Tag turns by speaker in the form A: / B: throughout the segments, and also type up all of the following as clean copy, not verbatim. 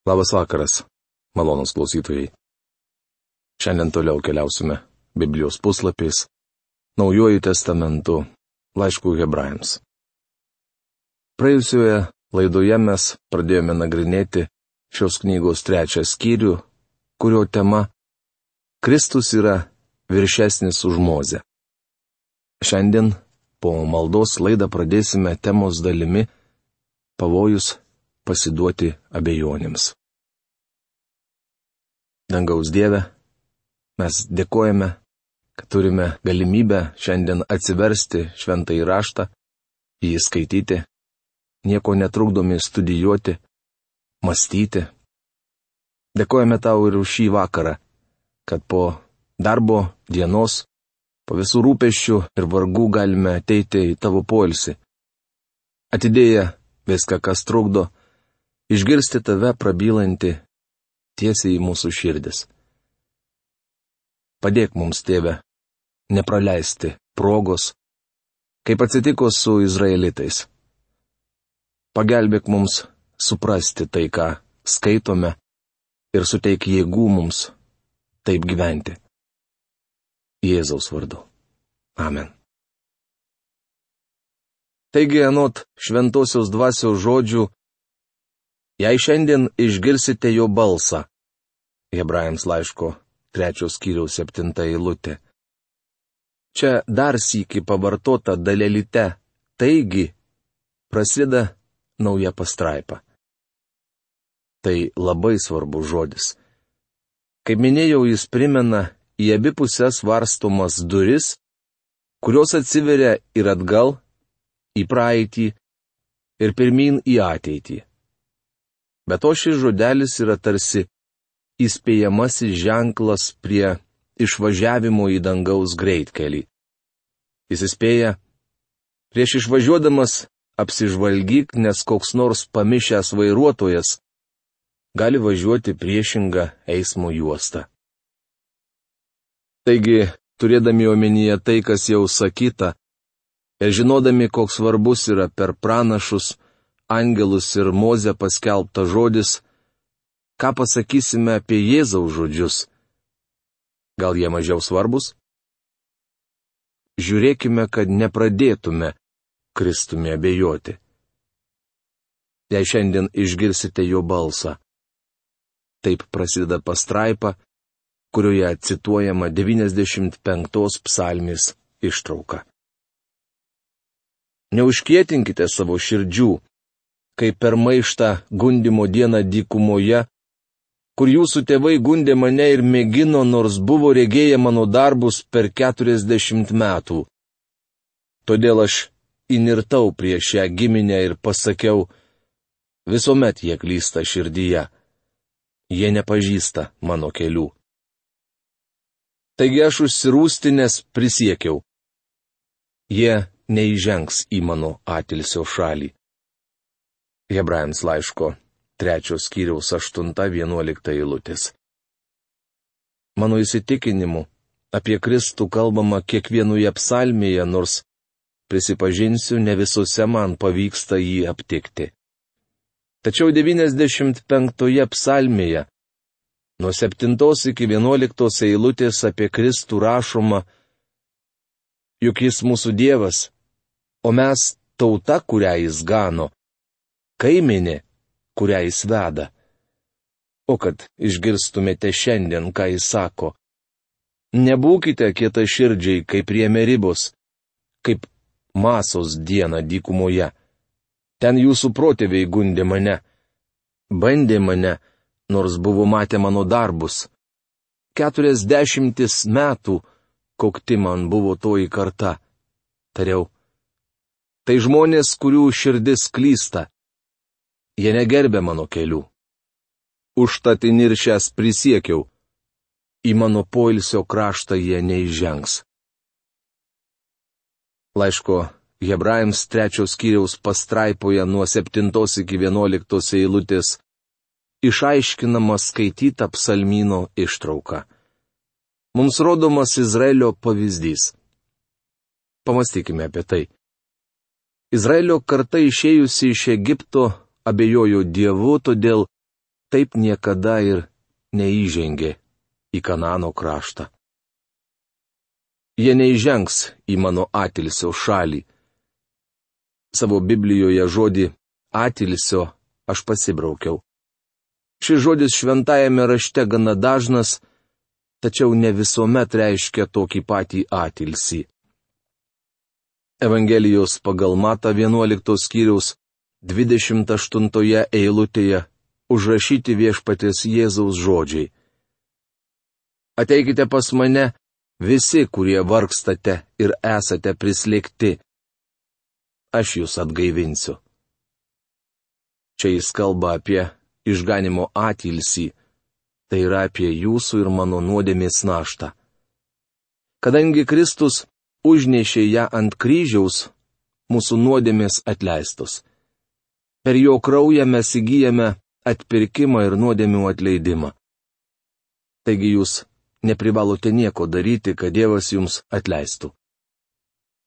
A: Labas vakaras, malonūs klausytojai. Šiandien toliau keliausime Biblijos puslapiais, Naujuoju testamentu, laišku Hebrajams. Praėjusioje laidoje mes pradėjome nagrinėti šios knygos 3 skyrių, kurio tema Kristus yra viršesnis už Mozę. Šiandien po maldos laidą pradėsime temos dalimi Pavojus pasiduoti abejonėms. Dangaus Dieve, mes dėkojame, kad turime galimybę šiandien atsiversti šventąjį raštą, jį skaityti, nieko netrukdomi studijuoti, mąstyti. Dėkojame Tau ir už šį vakarą, kad po darbo dienos, po visų rūpesčių ir vargų galime ateiti į Tavo poilsį. Atidėję viską, kas trukdo, išgirsti Tave prabylantį tiesiai į mūsų širdis. Padėk mums, Tėve, nepraleisti progos, kaip atsitiko su izraelitais. Pagelbėk mums suprasti tai, ką skaitome, ir suteik jėgų mums taip gyventi. Jėzaus vardu. Amen. Taigi, anot šventosios dvasios žodžių, jei šiandien išgirsite jo balsą, Hebrajams laiško 3 skyriaus 7 eilutė. Čia dar sykį pavartota dalelyte, taigi prasideda nauja pastraipa. Tai labai svarbus žodis. Kaip minėjau, jis primena į abi puses varstomas duris, kurios atsiveria ir atgal, į praeitį ir pirmyn į ateitį. Be to šis žodelis yra tarsi įspėjamasis ženklas prie išvažiavimo į dangaus greitkelį. Jis įspėja, prieš išvažiuodamas apsižvalgyk, nes koks nors pamišęs vairuotojas gali važiuoti priešingą eismo juostą. Taigi, turėdami omenyje tai, kas jau sakyta, ir žinodami, koks svarbus yra per pranašus, angelus ir Mozę paskelbtas žodis, ką pasakysime apie Jėzaus žodžius? Gal jie mažiau svarbus? Žiūrėkime, kad nepradėtume Kristumi abejoti. Jei šiandien išgirsite jo balsą. Taip prasideda pastraipa, kurioje cituojama 95 psalmės ištrauka. Neužkietinkite savo širdžių, kaip per maištą gundymo dieną dykumoje, kur jūsų tėvai gundė mane ir mėgino, nors buvo regėję mano darbus per 40 metų. Todėl aš įnirtau prieš šią giminę ir pasakiau, visuomet jie klysta širdyje. Jie nepažįsta mano kelių. Taigi aš užsirūstinęs prisiekiau. Jie neįžengs į mano atilsio šalį. Hebrajams laiško 3 skyriaus 8-11 eilutės. Mano įsitikinimu, apie Kristų kalbama kiekvienoje psalmėje, nors, prisipažinsiu, ne visose man pavyksta jį aptikti. Tačiau 95 psalmėje, nuo 7 iki 11 eilutės apie Kristų rašoma, juk jis mūsų Dievas, o mes tauta, kurią jis gano, kaimenė, kurią jis veda. O kad išgirstumėte šiandien, ką jis sako, nebūkite kietaširdžiai, kaip prie Meribos, kaip Masos dieną dykumoje. Ten jūsų protėviai gundė mane, bandė mane, nors buvo matę mano darbus. 40 metų kokti man buvo toji karta. Tariau, tai žmonės, kurių širdis klysta. Jie negerbė mano kelių. Užtat įniršęs prisiekiau, į mano poilsio kraštą jie neįžengs. Laiško Hebrajams 3 skyriaus pastraipoje nuo 7 iki 11 eilutės išaiškinama skaityta psalmyno ištrauka. Mums rodomas Izraelio pavyzdys. Pamastykime apie tai. Izraelio karta išėjusi iš Egipto abejojo Dievu, todėl taip niekada ir neįžengė į Kanaano kraštą. Jie neįžengs į mano atilsio šalį. Savo Biblijoje žodį atilsio aš pasibraukiau. Šis žodis šventajame rašte gana dažnas, tačiau ne visuomet reiškia tokį patį atilsį. Evangelijos pagal Matą 11 skyriaus 28 eilutėje užrašyti Viešpaties Jėzaus žodžiai. Ateikite pas mane visi, kurie vargstate ir esate prislėgti. Aš jūs atgaivinsiu. Čia jis kalba apie išganimo atilsį, tai yra apie jūsų ir mano nuodėmės naštą. Kadangi Kristus užnešė ją ant kryžiaus, mūsų nuodėmės atleistos. Per jo kraują mes įgyjame atpirkimą ir nuodėmių atleidimą. Taigi jūs neprivalote nieko daryti, kad Dievas jums atleistų.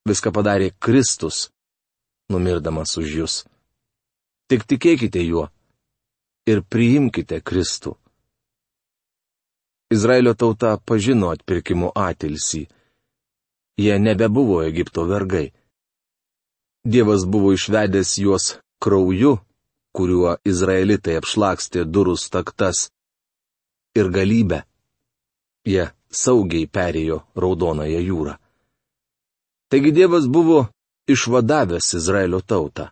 A: Viską padarė Kristus, numirdamas už jūs. Tik tikėkite juo ir priimkite Kristų. Izraelio tauta pažino atpirkimo atilsį. Jie nebebuvo Egipto vergai. Dievas buvo išvedęs juos krauju, kuriuo izraelitai apšlakstė durų staktas, ir galybę. Jie saugiai perėjo Raudonąją jūrą. Taigi Dievas buvo išvadavęs Izraelio tautą.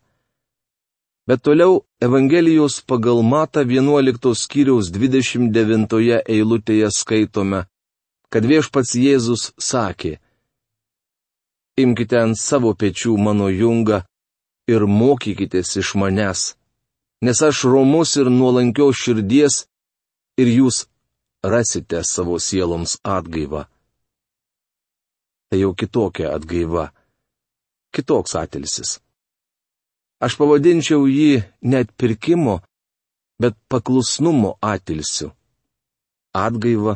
A: Bet toliau Evangelijos pagal Matą 11 skyriaus 29 eilutėje skaitome, kad Viešpats Jėzus sakė: Imkite ant savo pečių mano jungą ir mokykitės iš manęs, nes aš romus ir nuolankios širdies, ir jūs rasite savo sieloms atgaivą. Tai jau kitokia atgaiva, kitoks atilsis. Aš pavadinčiau jį ne atpirkimo, bet paklusnumo atilsiu. Atgaiva,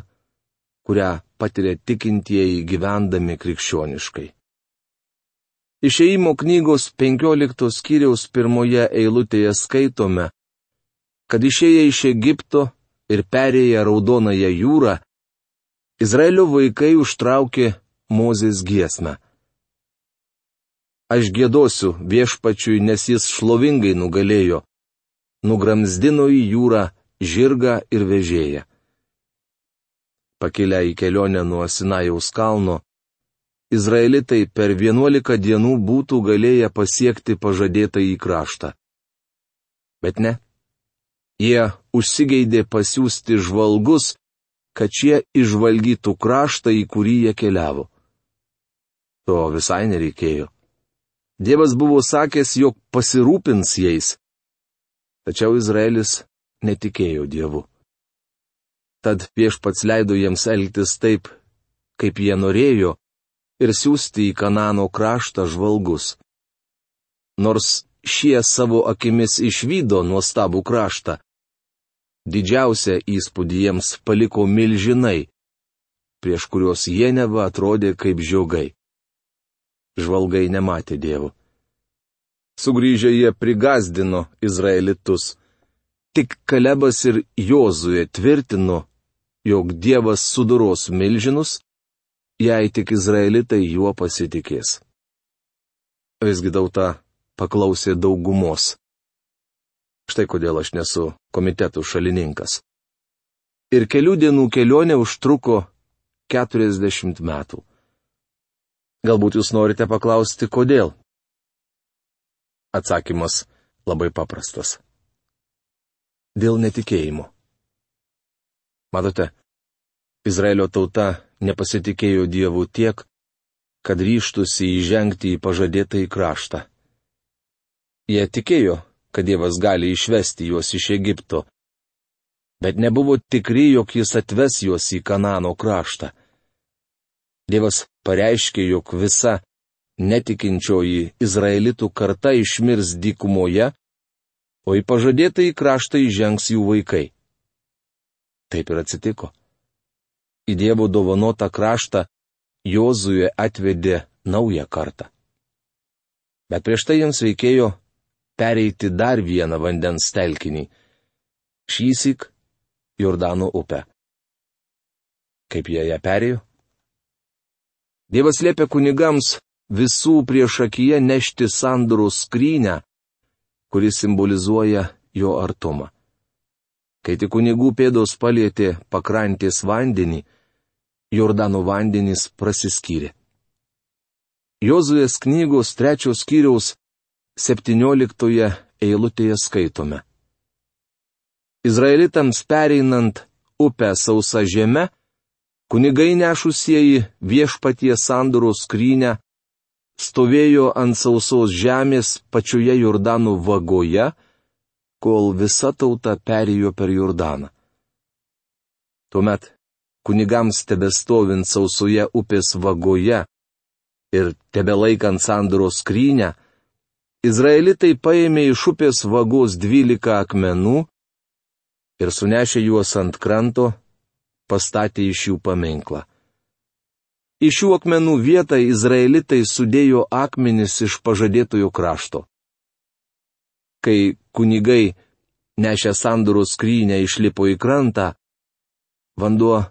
A: kurią patiria tikintieji gyvendami krikščioniškai. Išėjimo knygos 15 skyriaus 1 eilutėje skaitome, kad išėję iš Egipto ir perėję Raudonąją jūrą, Izraelio vaikai užtraukė Mozės giesmę. Aš giedosiu Viešpačiui, nes jis šlovingai nugalėjo, nugramzdino į jūrą žirgą ir vežėją. Pakilę į kelionę nuo Sinajaus kalno, izraelitai per 11 dienų būtų galėję pasiekti pažadėtąjį kraštą. Bet ne. Jie užsigeidė pasiųsti žvalgus, kad šie išžvalgytų kraštą, į kurį jie keliavo. To visai nereikėjo. Dievas buvo sakęs, jog pasirūpins jais. Tačiau Izraelis netikėjo Dievu. Tad Viešpats leido jiems elgtis taip, kaip jie norėjo, ir siųsti į Kanaano kraštą žvalgus. Nors šie savo akimis išvydo nuostabų kraštą, didžiausią įspūdį jiems paliko milžinai, prieš kuriuos jie neva atrodė kaip žiogai. Žvalgai nematė Dievo. Sugrįžę jie prigazdino izraelitus. Tik Kalebas ir Jozuė tvirtino, jog Dievas sudoros milžinus, jei tik izraelitai juo pasitikės. Visgi tauta paklausė daugumos. Štai kodėl aš nesu komitetų šalininkas. Ir kelių dienų kelionė užtruko 40 metų. Galbūt jūs norite paklausti, kodėl? Atsakymas labai paprastas. Dėl netikėjimo. Matote, Izraelio tauta nepasitikėjo Dievu tiek, kad ryžtųsi įžengti į pažadėtąjį kraštą. Jie tikėjo, kad Dievas gali išvesti juos iš Egipto, bet nebuvo tikri, jog jis atves juos į Kanaano kraštą. Dievas pareiškė, jog visa netikinčioji izraelitų karta išmirs dykumoje, o į pažadėtąjį kraštą įžengs jų vaikai. Taip ir atsitiko. Į Dievo dovanotą kraštą Jozuė atvedė naują kartą. Bet prieš tai jiems reikėjo pereiti dar vieną vandens telkinį. šįsyk Jordano upę. Kaip jie ją perėjo? Dievas liepė kunigams visų priešakyje nešti sandoros skrynią, kuris simbolizuoja jo artumą. Kai tik kunigų pėdos palietė pakrantės vandenį, Jordano vandenys prasiskyrė. Jozuės knygos 3 skyriaus 17 eilutėje skaitome. Izraelitams pereinant upę sausa žeme, kunigai nešusieji viešpaties sandoros skrynią stovėjo ant sausos žemės pačioje Jordano vagoje, kol visa tauta perėjo per Jordaną. Tuomet kunigams tebestovint sausoje upės vagoje ir tebelaikant sandoros skrynią, izraelitai paėmė iš upės vagos 12 akmenų ir sunešė juos ant kranto, pastatė iš jų paminklą. Į šių akmenų vietą izraelitai sudėjo akmenis iš pažadėtojo krašto. Kai kunigai nešę sandoros skrynią išlipo į krantą, vanduo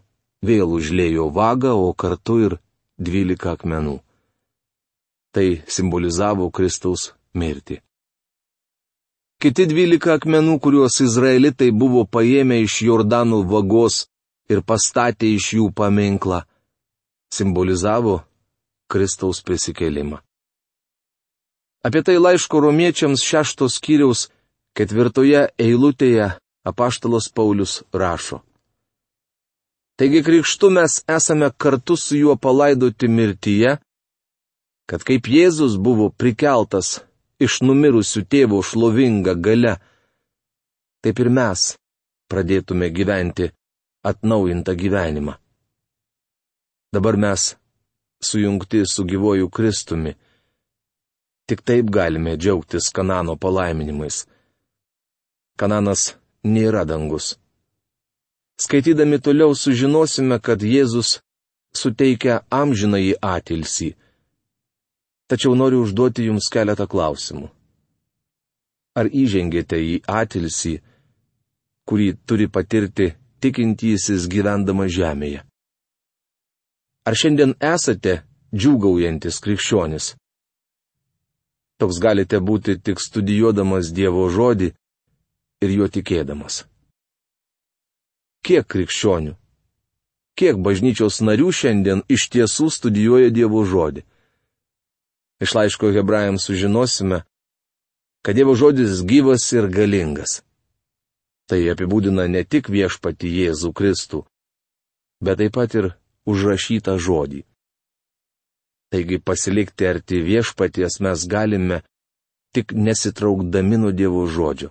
A: vėl užliejo vagą, o kartu ir 12 akmenų. Tai simbolizavo Kristaus mirtį. Kiti 12 akmenų, kuriuos izraelitai buvo paėmę iš Jordano vagos ir pastatė iš jų paminklą, simbolizavo Kristaus prisikėlimą. Apie tai laiško romiečiams 6 skyriaus 4 eilutėje apaštalas Paulius rašo. Taigi krikštu mes esame kartu su juo palaidoti mirtyje, kad kaip Jėzus buvo prikeltas iš numirusių tėvo šlovinga galia, taip ir mes pradėtume gyventi atnaujintą gyvenimą. Dabar mes sujungti su gyvuoju Kristumi. Tik taip galime džiaugtis Kanano palaiminimais. Kananas nėra dangus. Skaitydami toliau sužinosime, kad Jėzus suteikia amžinąjį atilsį. Tačiau noriu užduoti jums keletą klausimų. Ar įžengėte į atilsį, kurį turi patirti tikintysis gyvendamas žemėje? Ar šiandien esate džiūgaujantis krikščionis? Toks galite būti tik studijuodamas Dievo žodį ir juo tikėdamas. Kiek krikščionių, kiek bažnyčios narių šiandien iš tiesų studijuoja Dievo žodį? Iš laiško Hebrajams sužinosime, kad Dievo žodis gyvas ir galingas. Tai apibūdina ne tik viešpatį Jėzų Kristų, bet taip pat ir užrašytą žodį. Taigi pasilikti arti viešpaties mes galime tik nesitraukdami nuo Dievo žodžio.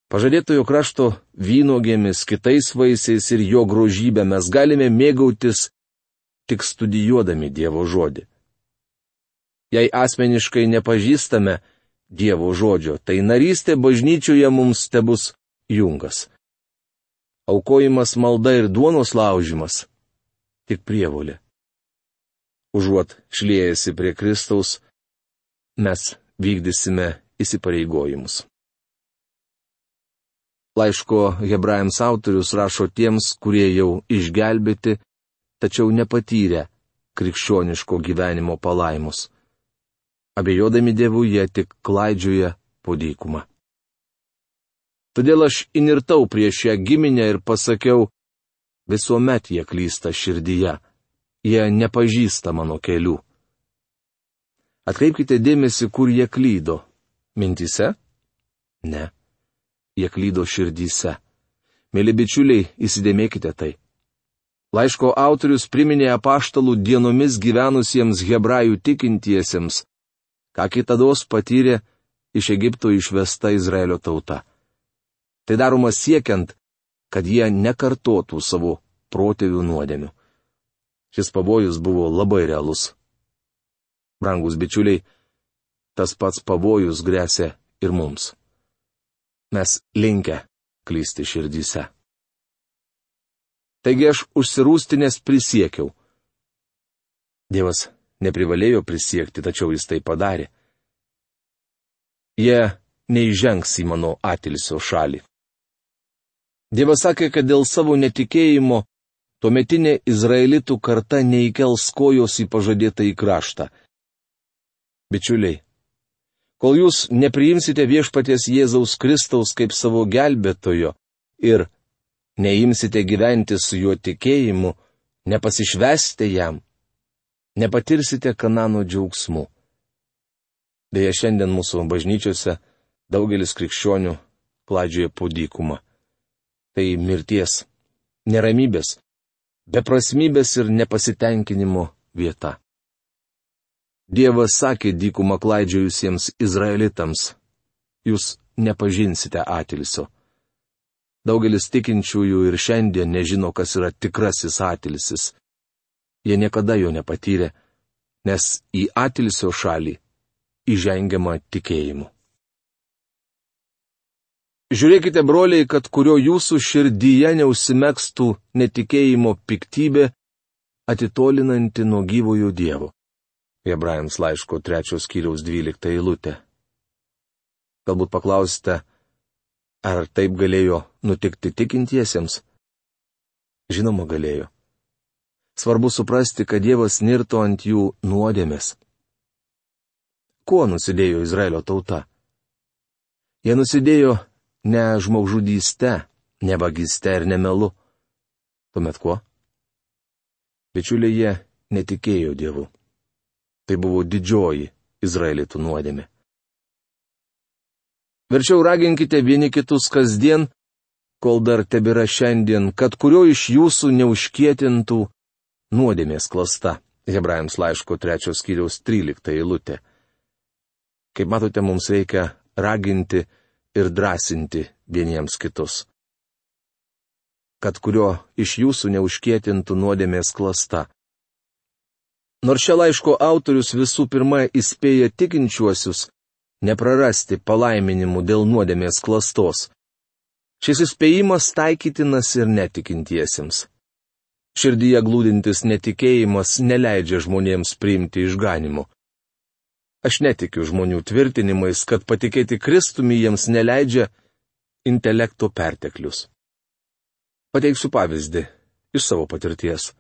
A: Pažadėtojo krašto vynuogėmis, kitais vaisiais ir jo grožybę mes galime mėgautis tik studijuodami Dievo žodį. Jei asmeniškai nepažįstame Dievo žodžio, tai narystė bažnyčioje mums tebus jungas. Aukojimas, malda ir duonos laužimas — tik prievolė. Užuot šliejasi prie Kristaus, mes vykdysime įsipareigojimus. Laiško Hebrajams autorius rašo tiems, kurie jau išgelbėti, tačiau nepatyrę krikščioniško gyvenimo palaimus. Abejodami Dievu jie tik klaidžioja po dykumą. Todėl aš įnirtau prieš šią giminę ir pasakiau, visuomet jie klysta širdyje, jie nepažįsta mano kelių. Atkreipkite dėmesį, kur jie klydo. Mintyse? Ne. Jie klydo širdyse. Mėly bičiuliai, įsidėmėkite tai. Laiško autorius priminė apaštalų dienomis gyvenusiems hebrajų tikintiesiems, ką kitados patyrė iš Egipto išvesta Izraelio tauta. Tai daroma siekiant, kad jie nekartotų savo protėvių nuodėmių. Šis pavojus buvo labai realus. Brangus bičiuliai, tas pats pavojus gresia ir mums. Mes linkę klysti širdyse. Taigi aš užsirūstinęs prisiekiau. Dievas neprivalėjo prisiekti, tačiau jis tai padarė. Jie neįžengs į mano atilsio šalį. Dievas sakė, kad dėl savo netikėjimo tuometinė izraelitų karta neįkels kojos į pažadėtąjį kraštą. Bičiuliai, kol jūs nepriimsite viešpaties Jėzaus Kristaus kaip savo gelbėtojo ir neimsite gyventi su juo tikėjimu, nepasišvesite jam, nepatirsite Kanano džiaugsmų. Deja, šiandien mūsų bažnyčiose daugelis krikščionių klaidžioja po dykumą. Tai mirties, neramybės, beprasmybės ir nepasitenkinimo vieta. Dievas sakė dykumą klaidžiojusiems izraelitams: jūs nepažinsite atilsio. Daugelis tikinčiųjų ir šiandien nežino, kas yra tikrasis atilsis. Jie niekada jo nepatyrė, nes į atilsio šalį įžengiama tikėjimu. Žiūrėkite, broliai, kad kurio jūsų širdyje neužsimegstų netikėjimo piktybė, atitolinanti nuo gyvojo Dievo. Hebrajams laiško 3 skyriaus 12 eilutė. Galbūt paklausite, ar taip galėjo nutikti tikintiesiems? Žinoma, galėjo. Svarbu suprasti, kad Dievas nirto ant jų nuodėmės. Kuo nusidėjo Izraelio tauta? Jie nusidėjo ne žmogžudyste, ne vagyste ir ne melu. Tuomet kuo? Bičiuliai, jie netikėjo Dievu. Tai buvo didžioji izraelitų nuodėmė. Verčiau raginkite vieni kitus kasdien, kol dar tebėra šiandien, kad kurio iš jūsų neužkietintų nuodėmės klasta. Hebrajams laiško 3 skyriaus 13 eilutė. Kaip matote, mums reikia raginti ir drąsinti vieniems kitus. Kad kurio iš jūsų neužkietintų nuodėmės klasta. Nors šio laiško autorius visų pirma įspėja tikinčiuosius neprarasti palaiminimų dėl nuodėmės klastos. Šis įspėjimas taikytinas ir netikintiesiems. Širdyje glūdintis netikėjimas neleidžia žmonėms priimti išganimo. Aš netikiu žmonių tvirtinimais, kad patikėti Kristumi jiems neleidžia intelekto perteklius. Pateiksiu pavyzdį iš savo patirties.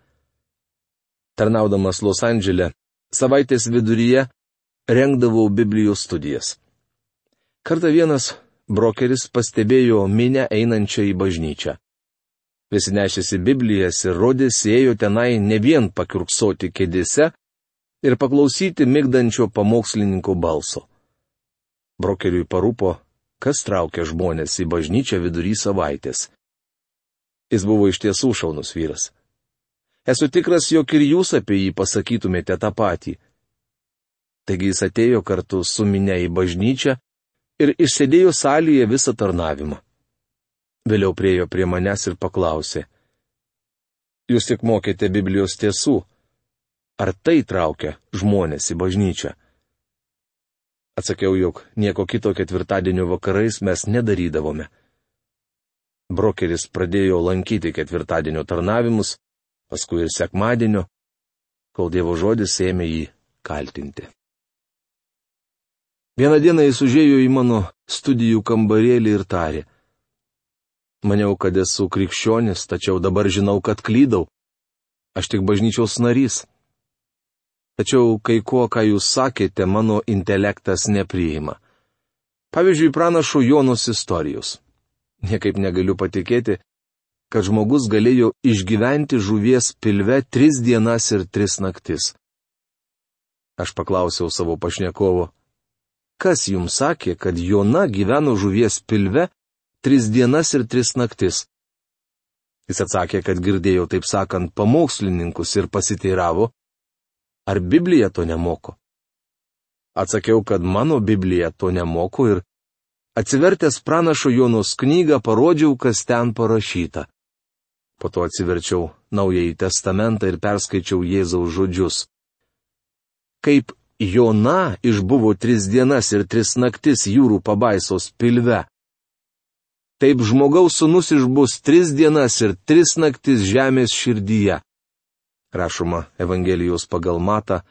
A: Tarnaudamas Los Andžele, savaitės viduryje rengdavau Biblijos studijas. Kartą vienas brokeris pastebėjo minią einančią į bažnyčią. Visi nešėsi Biblijas ir rodėsi ėjo tenai ne vien pakiurksoti kėdėse ir paklausyti migdančio pamokslininko balso. Brokeriui parūpo, kas traukia žmonės į bažnyčią vidury savaitės. Jis buvo iš tiesų šaunus vyras. Esu tikras, jog ir jūs apie jį pasakytumėte tą patį. Taigi jis atėjo kartu su minia į bažnyčią ir išsėdėjo salėje visą tarnavimą. Vėliau priėjo prie manęs ir paklausė: jūs tik mokėte Biblijos tiesų. Ar tai traukia žmonės į bažnyčią? Atsakiau, jog nieko kito ketvirtadienio vakarais mes nedarydavome. Brokeris pradėjo lankyti ketvirtadienio tarnavimus, paskui ir sekmadienio, kol Dievo žodis ėmė jį kaltinti. Vieną dieną jis užėjo į mano studijų kambarėlį ir tarė: maniau, kad esu krikščionis, tačiau dabar žinau, kad klydau. Aš tik bažnyčios narys. Tačiau kai ko, ką jūs sakėte, mano intelektas nepriima. Pavyzdžiui, pranašo Jonos istorijos. Niekaip negaliu patikėti, kad žmogus galėjo išgyventi žuvies pilve 3 dienas ir 3 naktis. Aš paklausiau savo pašnekovo: kas jums sakė, kad Jona gyveno žuvies pilve 3 dienas ir 3 naktis? Jis atsakė, kad girdėjo, taip sakant, pamokslininkus ir pasiteiravo, ar Biblija to nemoko. Atsakiau, kad mano Biblija to nemoko ir atsivertęs pranašo Jonos knygą parodžiau, kas ten parašyta. Po to atsiverčiau Naująjį testamentą ir perskaičiau Jėzaus žodžius. Kaip Jona išbuvo 3 dienas ir 3 naktis jūrų pabaisos pilve, taip žmogaus sūnus išbus 3 dienas ir 3 naktis žemės širdyje. Rašoma Evangelijos pagal Matą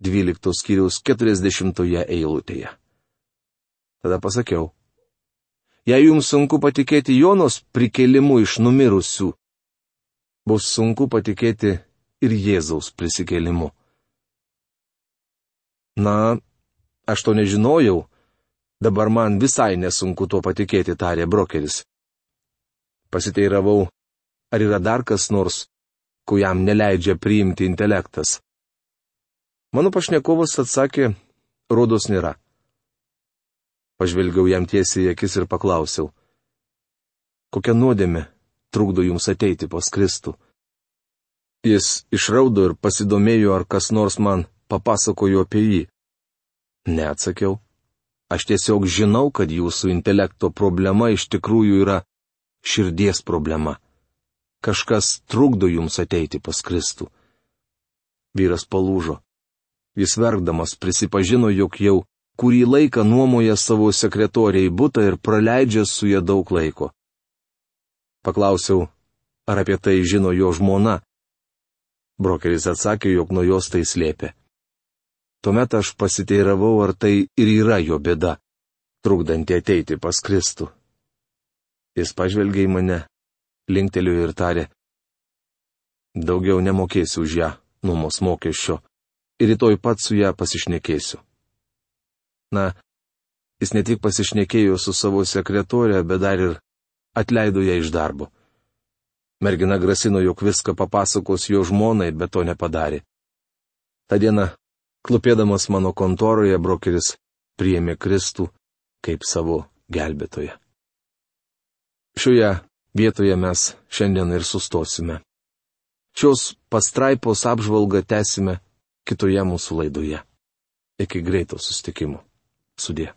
A: 12 skyriaus 40 eilutėje. Tada pasakiau: Jei jums sunku patikėti Jonos prikėlimu iš numirusių, bus sunku patikėti ir Jėzaus prisikėlimu. Na, aš to nežinojau, dabar man visai nesunku tuo patikėti, tarė brokeris. Pasiteiravau, ar yra dar kas nors, ko jam neleidžia priimti intelektas. Mano pašnekovas atsakė, rodos nėra. Pažvelgiau jam tiesiai į akis ir paklausiau, kokia nuodėmė trukdo jums ateiti pas Kristų? Jis išraudo ir pasidomėjo, ar kas nors man papasakojo apie jį. Neatsakiau. Aš tiesiog žinau, kad jūsų intelekto problema iš tikrųjų yra širdies problema. Kažkas trukdo jums ateiti pas Kristų. Vyras palūžo. Jis verkdamas prisipažino, jog jau kurį laiką nuomoja savo sekretoriai butą ir praleidžia su ja daug laiko. Paklausiau, ar apie tai žino jo žmona. Brokeris atsakė, jog nuo jos tai slėpė. Tuomet aš pasiteiravau, ar tai ir yra jo bėda, trukdanti ateiti pas Kristų. Jis pažvelgė į mane, linktelėjo ir tarė, daugiau nemokėsiu už ją nuomos mokesčio ir rytoj pat su ją pasišnekėsiu. Na, jis ne tik pasišnekėjo su savo sekretorė, bet dar ir atleido ją iš darbo. Mergina grasino, jog viską papasakos jo žmonai, bet to nepadarė. Ta diena, klupėdamas mano kontoroje, brokeris priėmė Kristų kaip savo gelbėtoją. Šioje vietoje mes šiandien ir sustosime. Šios pastraipos apžvalgą tęsime kitoje mūsų laidoje. Iki greito susitikimo. Sudie.